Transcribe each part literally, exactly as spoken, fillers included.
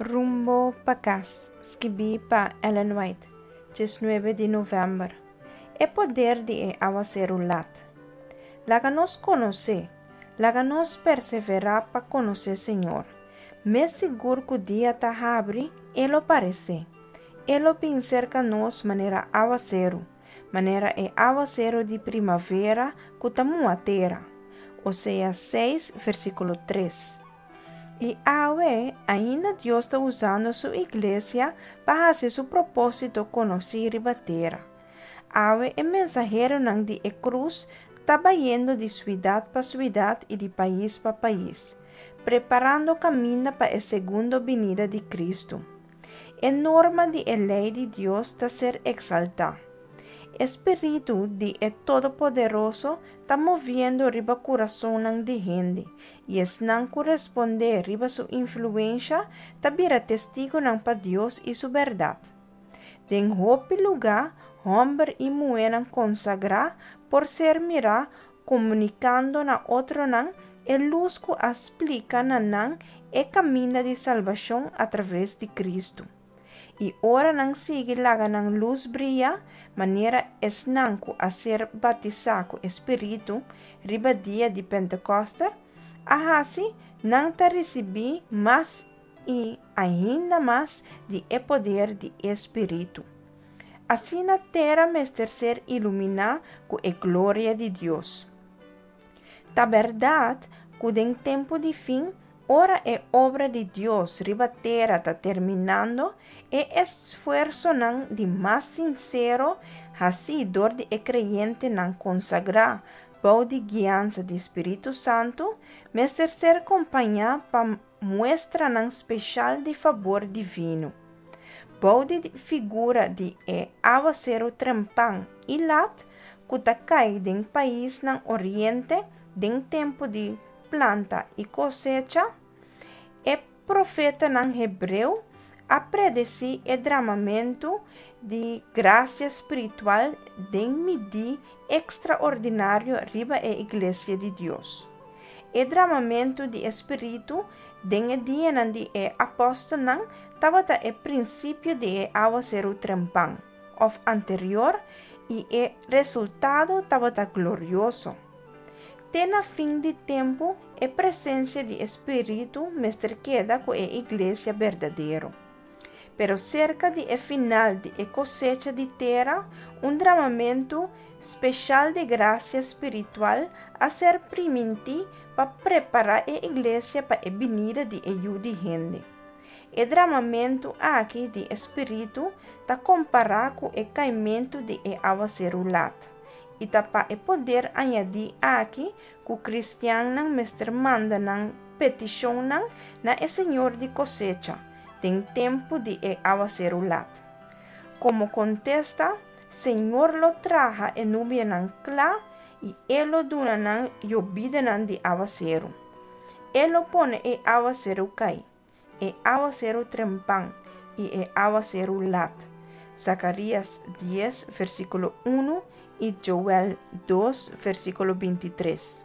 Rumbo pa Kas, skibí pa Ellen White, diesnuebe di novèmber. E poder di e awaseru lat. Laga nos konosé, laga nos perseverá pa konosé Señor. Mes sigur ku dia ta habri, E lo paresé. E lo bin serka nos manera awaseru, manera e awaseru di primavera ku ta muha tera. Oseas seis, versíkulo tres. I awe, ainda Dios ta usando su iglesia pa hasi su propósito konosí riba tera. Awe e mensaheronan di e krus ta bayendo di siudat pa siudat i di pais pa pais, preparando kaminda pa e segundo binida di Kristu. E norma di e lei di Dios ta ser eksaltá. E Spiritu di e Todopoderoso ta moviendo riba kurasonnan di hende, i esnan ku respondé riba su influensha ta bira testigunan pa Dios i su bèrdat. Den hopi lugá, hòmber i muhénan konsagrá por ser mirá komunikando na otronan e lus ku a splika na nan e kaminda di salbashon atraves di Kristu. I ora nan sigui laga nan lus bria, manera esnan ku a ser batisá ku e Spiritu riba dia di Pentekòste a hasi, nan ta risibí mas i ainda mas di e poder di e Spiritu. Asina tera mester ser iluminá ku e gloria di Dios. Ta bèrdat ku den tempu di fin, ora e obra di Dios riba tera ta terminando, e esfuersonan di mas sinsero hasí dor di e kreyentenan konsagrá bou di guiansa di Spiritu Santu mester ser kompañá pa muestranan speshal di fabor divino. Bou di figura di e awaseru trempan i lat ku ta kai den paisnan oriente den tempu di planta i kosecha, e profetanan hebreo a predesí e dramamentu di grasia spiritual den midí ekstraordinario riba e iglesia di Dios. E dramamentu di e Spiritu den e dianan di e apòstelnan tabata e prinsipio di e awaseru trempan, òf anterior, i e resultado tabata glorioso. Te na fin di tempu e presensia di e Spiritu mester keda ku e iglesia berdadero. Pero serka di e final di e kosecha di tera, un dramamentu speshal di grasia spiritual a ser primintí pa prepará e iglesia pa e binida di e Yu di Hende. E dramamentu aki di e Spiritu ta kompará ku e kaimentu di e awaseru lat, i ta pa e poder añadí aki ku kristiannan mester manda nan petishonnan na e Señor di kosecha den tempu di e awaseru lat. Komo kontesta, Señor lo traha e nubianan kla i E lo duna nan yobidanan di awaseru. E lo pone e awaseru kai, e awaseru trempan i e awaseru lat. Zakarías dies, versíkulo unu i Joel dos, versíkulo bintitres.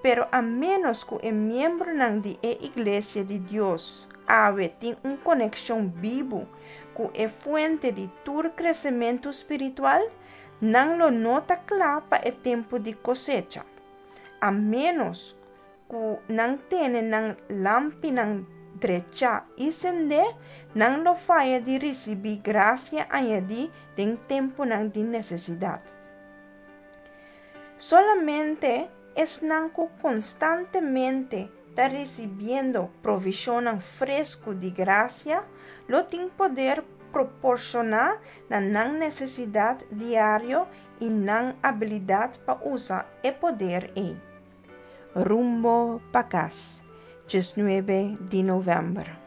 Pero a ménos ku e miembronan di e Iglesia di Dios awe tin un konekshon bibu ku e fuente di tur kresementu spiritual, nan lo no ta kla pa e tempu di kosecha. A ménos ku nan tene nan lampinan drechá i sendé, nan lo faya di risibí grasia añadí den tempunan di nesesidat. Solamente esnan ku konstantemente ta risibiendo provishonnan fresku di grasia lo tin poder proporshoná na nan nesesidat diario i nan abilidat pa usa e poder ei. Rumbo pa Kas, diesnuebe di novèmber.